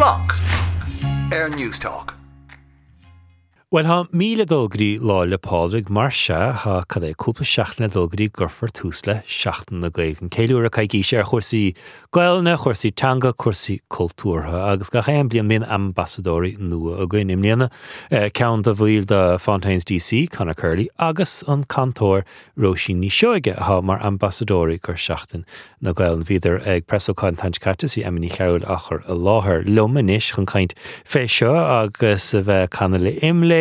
Block ar Newstalk. Bhuel, tá mí le dul go dtí Lá 'le Pádraig, mar sea, tá, cad é, cúpla seachtain le dul go dtí go gcuirfear tús le Seachtain na Gaeilge, an ceiliúradh coicíse ar chúrsaí Gaelainne, chúrsaí teanga, cúrsaí cultúrtha, agus gach aon bliain bíonn ambasadóirí nua againn. I mbliana, ceann de bhaill de Fontaines DC, Conor Curley, agus an cantóir Róisín Ní Seoige atá mar ambasadóirí do Sheachtain na Gaelainne. Bhíodar ag preasócáid an tseachtain seo caite is í Emma Ní Chearúil á chur i láthair liom anois chun caint fé seo agus a bheith ag canadh le IMLÉ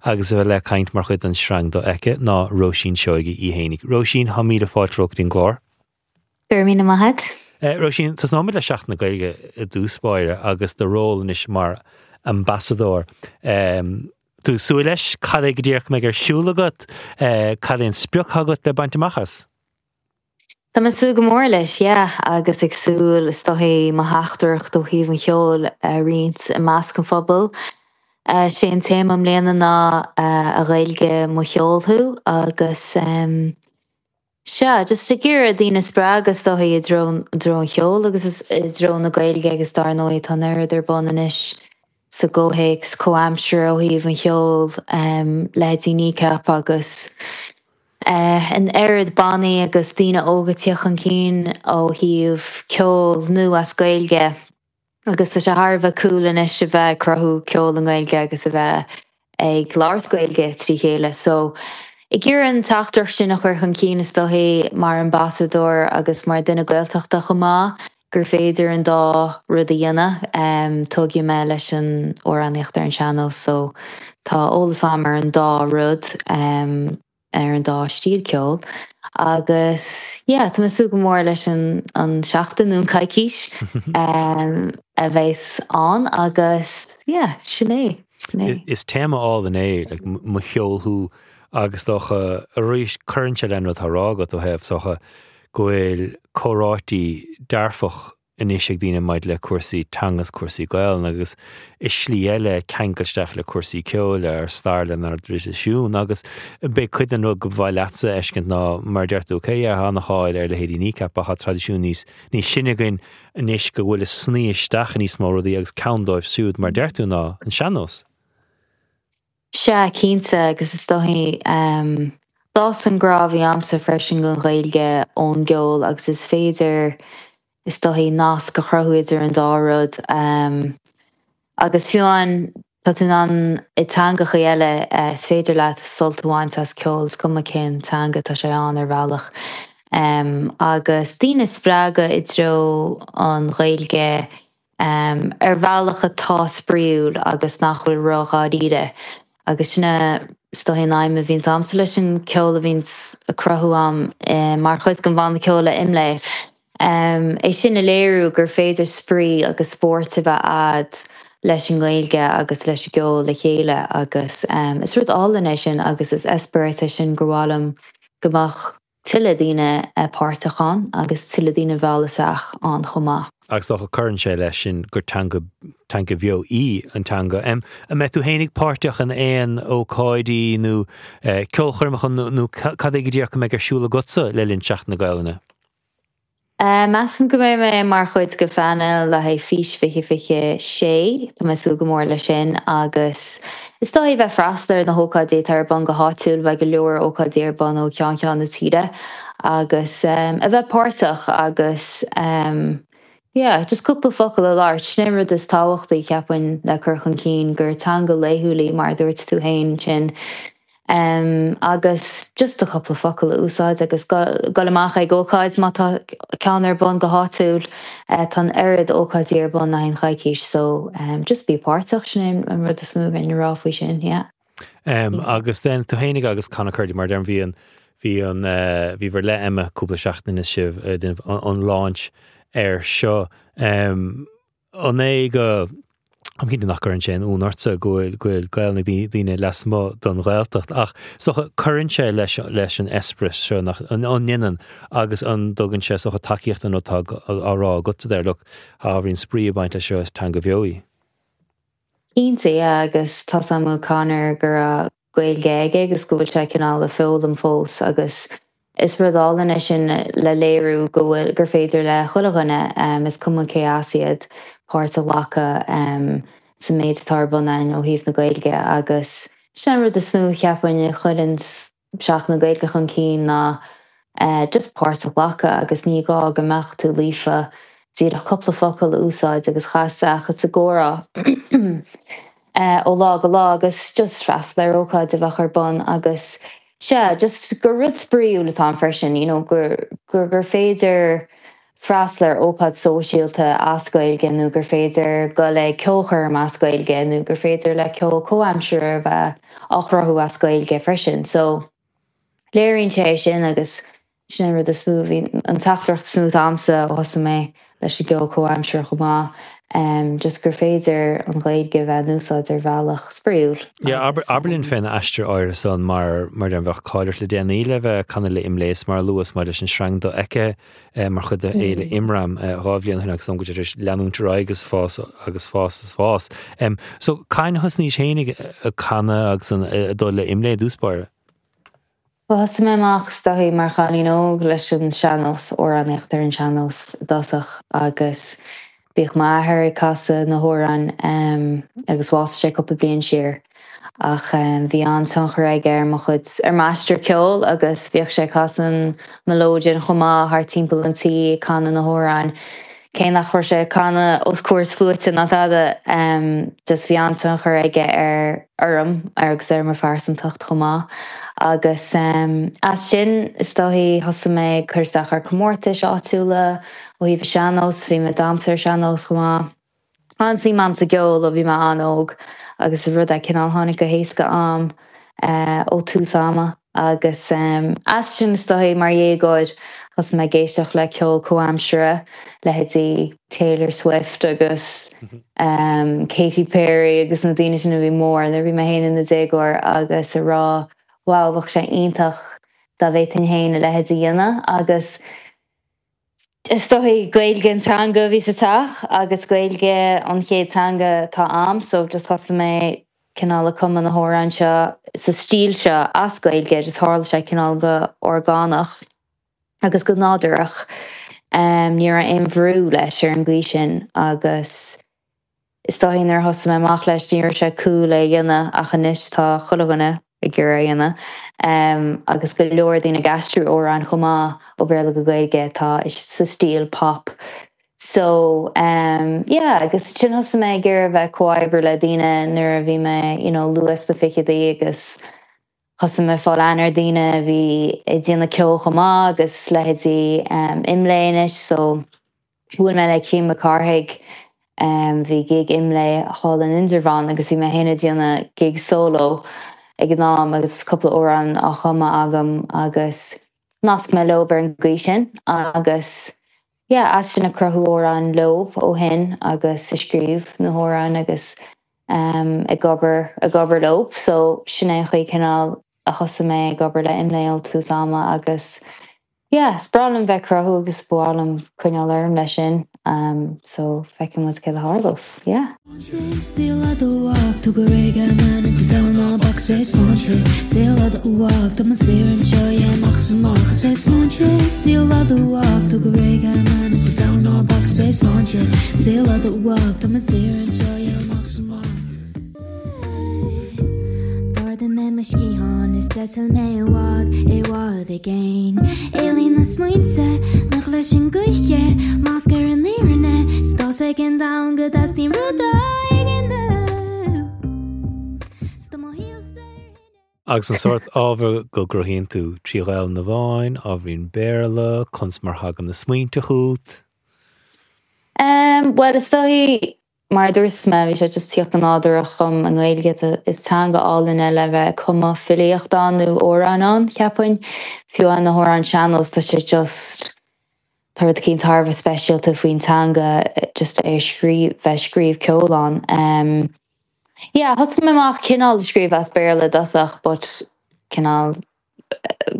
agus a bheith le caint mar chuid den sreang Dofheicthe ná Róisín Seoige í fhéinig. Róisín, tá míle fáilte romhat go dtí an gclár. Go raibh míle maith agat. Róisín, tosnóimid le Seachtain na Gaeilge i dtús báire agus do ról anois mar ambasadóir. Tú ag súil leis? Cad é go díreach a mbeidh ar siúl agat? Cad é an sprioc atá agat le baint amach as? Tá mé ag súil go mór leis, yeah, agus ag súil, is dóichí, mo theachtaireacht ó thaobh an cheoil a roinnt i measc an phobail. Sé an téama i mbliana ná 'A Ghaeilge, mo cheol thú' agus Sea, just ag iarraidh daoine a spreagadh is dóichí i dtreo, i dtreo an cheoil agus i dtreo na Gaeilge agus dar ndóigh tá an oiread ar bun anois sa gcomhthéacs comhaimseartha ó thaobh an cheoil, leithéidí Kneecap agus an oiread bannaí agus daoine óga ag tíocht chun cinn ó thaobh ceol nua as Gaeilge. Agus tá sé thar a bheith cool anois a bheith ag cruthú ceol i nGaeilge agus a bheith ag labhairt Gaeilge trí chéile. So, ag iarraidh an teachtaireacht sin a chur chun cinn is dóichí mar ambasadóir agus mar duine Gaeltachta chomh maith, gur féidir an dá rud a dhéanamh. Tógadh mé leis an amhránaíocht ar an sean-nós so tá eolas agam ar an dá rud. ar an dá stíl ceoil agus yeah tá mé ag súil go mór leis an an seachtain nó an coicís a bheas ann agus yeah sin é, sin é. Is téama álainn é like mo cheol thú agus dócha arís cuireann sé len rud atá á rá agat ó thaobh is dócha go bhfuil comhráití dearfach anois ag daoine maidir le cúrsaí teanga is cúrsaí Gaelainne agus i slí eile ceangal isteach le cúrsaí ceoil, ár stair lenár dtraidisiún agus b'é cuid den rud go mhaith leatsa a fheiscint ná mar a deir tú, ok yeah tá an-cháil ar leithéidí Kneecap ach tá traidisiún níos níos sine againn anois go bhfuil ag snoí isteach i níos mó rudaí agus ceann dóibh siúd mar a deir tú ná an sean-nós. Sea, cinnte, agus is dóichí, d'fhás an grá a bhí a'msa freisin don Ghaeilge ón gceol agus is féidir, is dóichí, nasc a chruthú idir an dá rud. Agus fiú amháin, tá tú in ann, i dteangachaí eile, is féidir leat sult a bhaint as ceol, is cuma cén teanga atá sé ann ar bhealach. Agus daoine a spreagadh i dtreo an Ghaeilge, ar bhealach atá spraíúil agus nach bhfuil ró-dháiríre. Agus sin é, is dóichí, an aidhm a bhíonns a'msa leis an ceol a bhíonns á cruthú a'm mar chuid den bhanna ceoil IMLÉ. É sin a léiriú gur féidir spraoi agus spórt a bheith a'd leis an nGaeilge agus leis an gceol le chéile agus is rud álainn é sin agus is eispéireas é sin gur mhaith liom go mbeadh tuilleadh daoine páirteach ann agus tuilleadh daoine a mhealladh isteach ann chomh maith. Agus dócha cuireann sé leis sin gur teanga, teanga bheo í an teanga. An mbeidh tú fhéinig páirteach in aon ócáidí nó ceolchoirmeacha nó cad é go díreach a mbeidh ar siúl agatsa le linn Seachtain na Gaelainne? Measaim go mbeidh mé mar chuid de phainéal le haghaidh Fís 2026. Tá mé ag súil go mór leis sin agus is dóichí bheith freastal ar na hócáidí atá ar bun go háitiúil, beidh go leor ócáidí ar bun ó cheann ceann na tíre agus a bheith páirteach agus yeah just cúpla focal a labhairt. Sin é an rud is tábhachtaí, cheapfainn, le cur chun cinn, gur teanga laethúil í mar a dúirt tú féin ansin. Agus just do chúpla focal a úsáid agus dul amach ag ócáid má tá ceann ar bun go háitiúil. Tá an oiread ócáidí ar bun le haghaidh an choicís so just bí páirteach, sin é an rud is mó a bheinn a rá faoi sin, yeah. Agus then tú fhéinig agus Conor Curley mar a deirim bhí an bhí an bhíobhair le Emma cúpla seachtain is sibh ag déanamh an launch air seo. An é go, táim cinnte nach gcuireann sé aon ionadh ortsa go bhfuil, go bhfuil Gaelainn ag daoine lasmuigh den Ghaeltacht, ach is dócha cuireann sé leis, leis an eispéireas seo, nach, an ndéanann, agus an dtugann sé, is dócha, tacaíocht don rud atá á rá agatsa there, look, tá ábhairín spraoi ag baint leis seo, is teanga bheo í. Cinnte, yeah, agus tá's agam ó Conor go raibh Gaeilge aige agus go bhfuil sé cineál ag foghlaim fós agus is rud álainn é sin le léiriú go bhfuil, gur féidir le chuile dhuine, is cuma cé as iad. páirt a ghlacadh sa méid atá ar bun againn ó thaobh na Gaeilge agus sin an rud is mó cheapfainn a chuireann Seachtain na Gaeilge chun cinn ná just páirt a ghlacadh agus ní gá go mbeadh tú líofa díreach cúpla focal a úsáid agus a chasadh sa gcomhrá ó lá go lá agus just freastal ar ócáid a bheadh ar bun agus sea just gur rud spraíúil atá ann freisin you know gur gur gur féidir freastal ar ócáid sóisialta as Gaeilge nó gur féidir dul ag ceolchoirm as Gaeilge nó gur féidir le ceol comhaimseartha a bheith á chruthú as Gaeilge freisin. So léiríonn sé é sin agus sin an rud is mó, bhí an teachtaireacht is mó atá agamsa ó thosaigh mé leis an gceol comhaimseartha chomh maith, just gur féidir an Ghaeilge a bheith in úsáid ar bhealach spraíúil. Yeah, abair linn fén aistear áirithe san mar mar a bheadh cáil ort le déanaí le bheith ag canadh le ImLéas mar a luas maidir leis an sreang dofheicthe mar chuid de Fhéile Imram 2 bhliain ó shin agus go tar éis leanúint ar aghaidh agus fás agus fás is fás. So cathain a thosnaís féin ag canadh agus ag dul le ImLé i dtús báire? Bhuel thosaigh mé amach is dóichí mar chailín óg leis an sean-nós, amhránaíocht ar an sean-nós i dtosach agus bhíodh m'athair ag casadh na hamhráin agus bhásaigh sé cúpla bliain siar ach bhí an-tionchar aige ar mo chuid, ar m'aistear ceoil agus bhíodh sé ag casadh an mileoidean chomh maith thart timpeall an tí ag canadh na hamhráin. Cé nach raibh sé ag canadh os comhair sluaite ná tada, just bhí an-tionchar aige ar orm agus ar mo phearsantacht chomh maith. Agus as sin, is dóichí, thosaigh mé ag cur isteach ar comórtais áitiúla ó thaobh an sean-nós, bhí mé ag damhsa ar sean-nós chomh maith. An-suim a'm sa gceol ó bhí mé an-óg agus is rud é cineál tháinig go héasca a'm ó tús ama agus as sin is dóichí mar dhéagóir thosaigh mé ag éisteacht le ceol comhaimseartha, leithéidí Taylor Swift agus Katy Perry agus na daoine sin a bhí mór nuair a bhí mé féin ina déagóir agus a rá wow bheadh sé iontach dá bhféadfainn féin a leithéid a dhéanamh agus Is dóichí Gaeilge an teanga a bhí sa teach agus Gaeilge an chéad teanga atá a'm so just thosaigh mé cineál ag cumadh na hamhráin seo sa stíl seo as Gaeilge just tharla sé cineál go orgánach agus go nádúrach. Ní raibh aon bhrú leis ar an gcaoi sin agus Is dóichí nuair a thosaigh mé amach leis ní raibh sé cool é a dhéanamh ach anois tá chuile dhuine ag iarraidh é a dhéanamh agus go leor daoine ag aistriú amhráin chomh maith ó Bhéarla go Gaeilge atá sa stíl pop. So yeah agus ansin thosaigh mé ag iarraidh a bheith ag comhoibriú le daoine nuair a bhí mé you know luath sna fichidí agus thosaigh mé ag fáil aithne ar daoine a bhí ag déanamh ceoil chomh maith agus leithéidí ImLé anois so bhuail mé le Cian Mac Cárthaigh, bhí gig ImLé thall in Indreabhán agus bhí mé féin ag déanamh gig solo ag an am agus cúpla amhrán á chumadh agam agus nasc mé leob ar an gcaoi sin agus yeah as sin ag cruthú amhráin leob ó shin agus ag scríobh na hamhráin agus ag obair ag obair leob so sin é an chaoi cineál a thosaigh mé ag obair le ImLé ó tús ama agus yeah is breá liom bheith ag cruthú agus ba mhaith liom coinneáil orm leis sin so feicfidh muid céard a tharlós yeah. D'ardaigh mé mo sciathán is d'eitil mé i bhfad, i bhfad i gcéin. Éalaíonn na smaointe nach leis an gcoíche, masc ar an fhírinne, 's tá 's ag an domhan go dteastaíonn rud éigin uaim. 'S tá mo shaolsa ar thine. Agus an sórt ábhar go gcruthaíonn tú, trí Ghaelainn amháin, ábhairín Béarla, conas mar thagann na smaointe chugat? Bhuel, is dóichí, mar a dúirt mé, bhí sé just tíocht go nádúrach dhom i nGaeilge. Is teanga álainn é le bheith ag cumadh filíocht ann nó amhráin ann, cheapfainn. Fiú amháin na hamhráin sean-nós, tá sé just, tá rud eicínt thar a bheith speisialta faoin teanga just é a scríobh, bheith ag scríobh ceoil ann. Yeah, thosaigh mé amach cineál ag scríobh as Béarla i dtosach but cineál,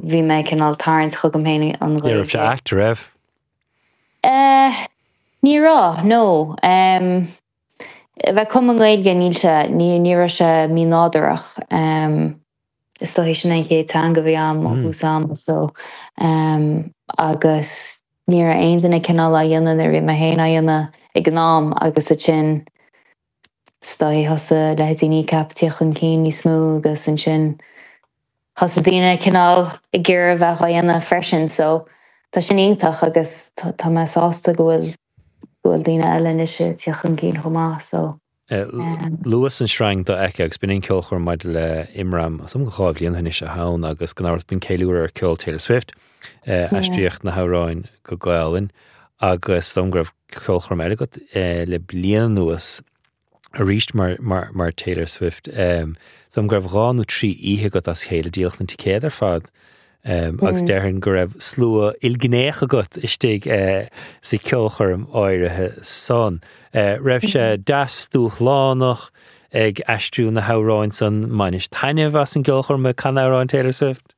bhí mé cineál tarraingt chugam féin an Ní raibh sé Ghaeilge. ait, raibh? Eh, ní raibh, no. Em, a bheith ag cumadh i nGaeilge, níl sé, ní, ní raibh sé mínádúrach. Em, is dóichí sin é an chéad teanga a bhí a'm ó thús ama so, em, agus ní raibh aon duine cineál á dhéanamh nuair a bhí mé féin á dhéanamh. ag an am agus ansin is dóigh thosaigh leithéidí Kneecap ag tíocht chun cinn níos mó agus ansin thosaigh daoine cineál ag iarraidh a bheith á dhéanamh freisin so tá sin iontach agus tá mé sásta go bhfuil go bhfuil daoine eile anois ag tíocht chun cinn chomh maith so. Luas an sreang dofheicthe agus b'in an ceolchoirm maidir le Imram, is dócha 2 bhliain ó shin anois atá ann agus gan amhras b'in ceiliúradh ar ceol Taylor Swift, aistríodh na hamhráin go Gaolainn agus is dóigh liom go raibh ceolchoirm eile agat le bliain anuas arís mar Taylor Swift. Is dóigh liom go raibh 2 nó 3 oíche agat as a chéile, díoladh na ticéid ar fad. Agus déarfainn go raibh slua ilghnéach agat istigh sa cheolchoirm áirithe san. Raibh sé deas dúshlánach ag aistriú na hamhráin san? Bhainis taitneamh as an gceolchoirm ag canadh amhráin Taylor Swift?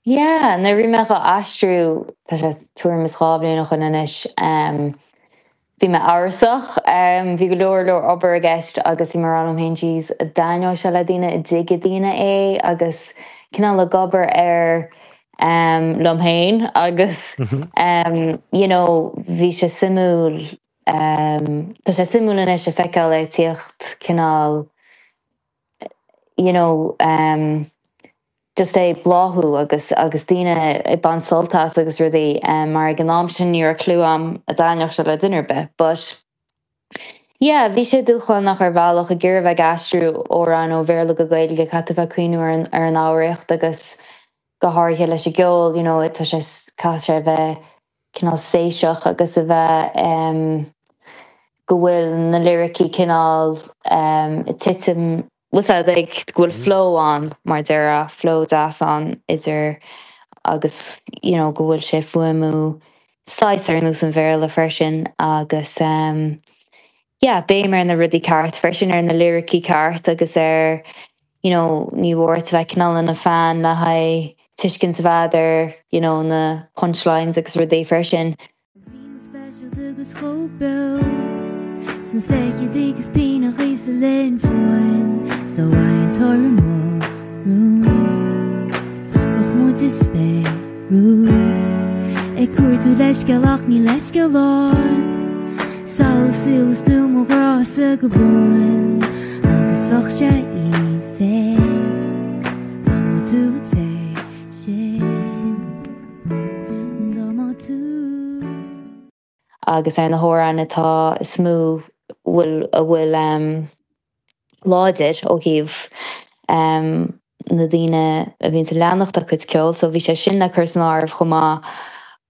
Yeah, nuair a bhí mé dhá aistriú, tá sé tuairim is 2 bhliain ó shin anois, Bhí mé amhrasach. Bhí go leor leor obair i gceist agus bhí mé ag rá liom féin jeez, an dtaitneoidh sé le daoine, an dtuigfidh daoine é agus cineál ag obair air liom féin agus you know bhí sé suimiúil, tá sé suimiúil anois a feiceáil é ag tíocht cineál you know just é ag bláthú agus agus daoine ag baint sult as agus rudaí mar ag an am sin ní raibh clue a'm an dtaitneodh sé le duine ar bith but yeah bhí sé dúshlánach ar bhealach ag iarraidh bheith ag aistriú amhráin ó Bhéarla go Gaeilge caithfidh tú bheith ag cuimhniú ar an ar an fhoghraíocht agus go háirithe leis an gceol you know tá sé caithfidh sé a bheith cineál séiseach agus a bheith go bhfuil na liricí cineál ag titim, bhfuil 's a'd, like go bhfuil flow ann mar a déarfá, flow deas ann idir agus you know go bhfuil sé fuaimiú saghas ar nós an Bhéarla freisin agus yeah béim ar na rudaí ceart freisin, ar na liricí ceart agus ar you know, ní mór duit a bheith cineál ina fan le haghaidh tuiscint a bheith a'd ar, you know, na punchlines agus rudaí freisin. Bhí mé speisialta agus chomh beo Sna fichidí agus pian sa linn fuain 'S dá bhfaighinn toradh mo rún Bheadh muid ag spéiriú Ag cuartú leithscéal ach níl leithscéal ann Samhlaigh saol is tú mo ghrása go buan Agus bheadh sé aoibhinn Dá mba tú an té sin Dá mba tú. Agus ar na hamhráin atá is mó bhfuil a bhfuil láidir ó thaobh na daoine a bhíonns ag leanacht a cuid ceoil so bhí sé sin le cur san áireamh chomh maith.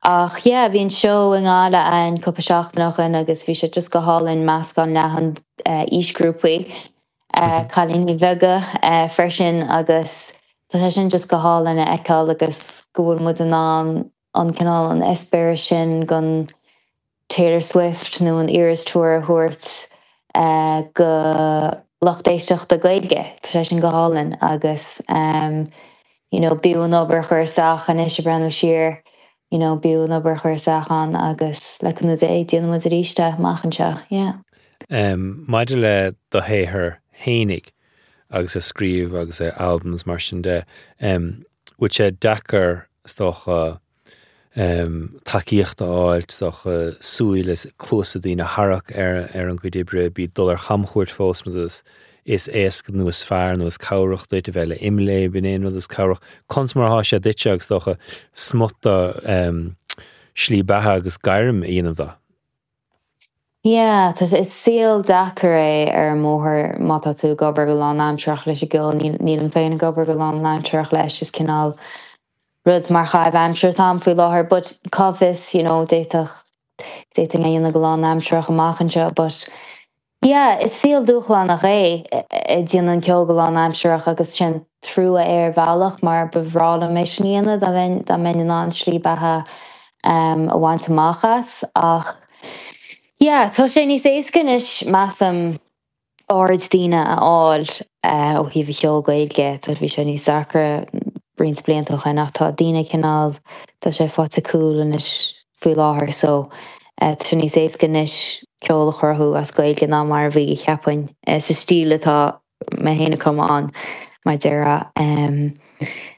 Ach yeah bhí an seó i nGaillimh ann cúpla seachtain ó shin agus bhí sé just go hálainn meascán leathan aoisghrúpaí, cailíní beaga freisin agus tá sé sin just go hálainn a fheiceáil agus go bhfuil muid in ann an cineál an eispéireas sin den Taylor Swift nó an Eras Tour a thabhairt go lucht éisteachta Gaeilge. Tá sé sin go hálainn agus you know b'fhiú an obair a chur isteach anois ag breathnú siar you know b'fhiú an obair a chur isteach ann agus le cúnamh Dé déanfaidh muid arís é amach anseo. Yeah. Maidir le do shaothar fhéinig agus a scríobh agus a albums mar sin de, bhfuil sé deacair is dócha tacaíocht a fháil, is dócha súil is cluasa daoine a tharrac ar ar an gcuid oibre, bíonn dul ar chamchuairt fós rud is is éasca nó is fearr nó is cabhrach duit a bheith le Imlé, b'in é an rud is cabhrach. Conas mar atá sé duitse agus is dócha smut de slí beatha agus gairm a dhéanamh de? Yeah, tá sé, is saol deacair é ar an mbóthar má tá tú ag obair go lánaimsearach leis an gceol, nílim féin ag obair go lánaimsearach leis, is cineál rud mar chaitheamh aimsire atá ann faoi láthair but cá bhfios, you know, d'fhéadfadh, d'fhéadfainn é a dhéanamh go lánaimsearach amach anseo but Yeah, is saol dúshlánach é ag déanamh an ceol go lánaimsearach agus sin trua é ar bhealach mar ba bhreá liom é sin a dhéanamh dá mbeinn dá mbeinn in ann slí beatha a bhaint amach as ach yeah, tá sé níos éasca anois measaim aird daoine a fháil ó thaobh an cheoil Gaeilge, tá bhí sé níos deacra roinnt blianta ó shin ach tá daoine cineál tá sé faighte cool anois faoi láthair so tá sé níos éasca anois ceol a chruthú as Gaeilge ná mar a bhí, cheapfainn, sa stíl atá mé féin ag cumadh ann, mar a déarfá.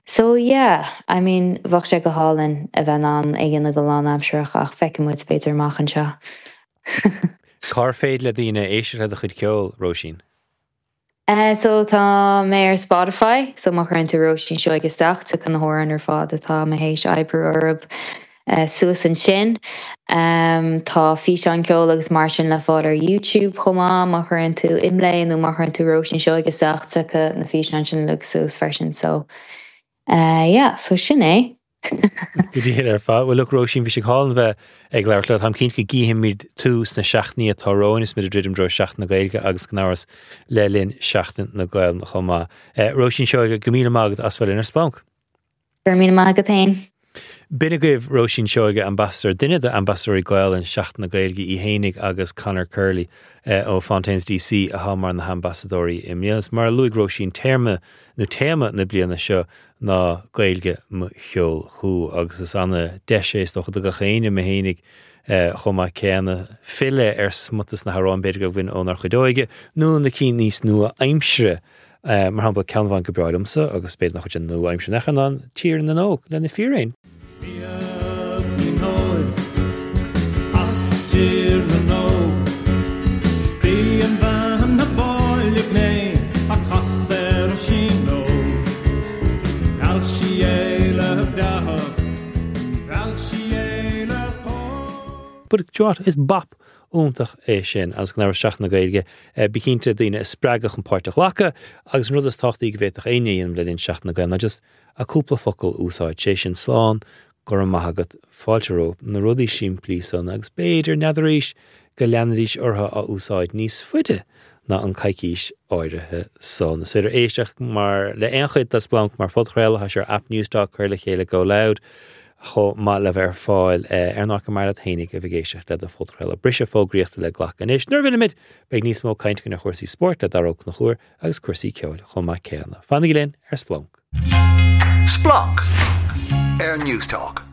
So yeah, I mean, bheadh sé go hálainn a bheith in ann é a dhéanamh go lánaimsearach ach feicfidh muid b'fhéidir amach anseo. Cár féidir le daoine éisteacht le do chuid ceoil, Róisín? So tá mé ar Spotify, so má chuireann tú Róisín Seoighe isteach, tiocfaidh na hamhráin ar fad atá mé théis oibriú orthu suas ansin. Tá físeáin ceoil agus mar sin le fáil ar YouTube chomh maith, má chuireann tú Imlé nó má chuireann tú Róisín Seoighe isteach, tiocfaidh na físeáin sin uilig suas freisin. So yeah, so sin é. Go diail ar fad. Bhuel, look, Róisín, bhí sé go hálainn bheith ag labhairt leat. Táim cinnte go gcífimid tú sna seachtainí atá romhainn is muid ag druidim i dtreo Seachtain na Gaeilge agus gan amhras le linn Seachtain na Gaelainne chomh maith. Róisín Seoige, go míle maith agat as bheith linn ar Splanc. Go raibh míle maith agat féin. B'in agaibh Róisín Seoige, ambasadóir, duine d'ambasadóirí Gaelainne Seachtain na Gaeilge í fhéinig agus Conor Curley ó Fontaines DC atá mar na hambasadóirí i mbliana. Is mar a luaigh Róisín, téarma nó téama na bliana seo ná Gaeilge mo cheol thú agus is ana deis é is dócha do gach éinne, mé fhéinig chomh maith céanna, filleadh ar smut des na hamhráin b'fhéidir go bhain ónár chuid óige nó na cinn níos nua-aimsire, mar shampla ceann amháin go breá liomsa agus b'fhéidir nach bhfuil sé nua-aimseartha in aon chor ná Tír na nÓg le Na Fíréin. Bíodh ní as Tír na nÓg. B'í an bhean ab áille gné a casadh ar Oisín Óg. Mheall sí é le breáthacht, mheall sí é le póg. But do you know what, is bop iontach é sin agus gan amhras Seachtain na Gaeilge, bí cinnte daoine a spreagadh chun páirt a ghlacadh agus an rud is tábhachtaí go bhféadfadh éinne a dhéanamh le linn Seachtain na Gaeilge ná just a cúpla focal a úsáid, sé sin slán, go raibh maith agat, fáilte romhat, na rudaí simplí san agus b'fhéidir, n'fheadar arís, go leanfaidís orthu á úsáid níos faide ná an coicís áirithe san. Is féidir éisteacht mar le aon chuid de Splanc mar phodchraoladh, tá sé ar aip Newstalk, Cuir le Chéile, Go Loud, chomh maith le bheith ar fáil ar an áit gur maith leat fhéinig a bheith ag éisteacht le do phodchraoladh. Briseadh fógraíochta le glacadh anois. Nuair a bhfillfimid, beidh níos mó cainte againn ar chúrsaí spóirt le Dara Ó Conchúir agus cúrsaí ceoil chomh maith céanna. Fanaigí linn ar Splanc. Splanc ar Newstalk.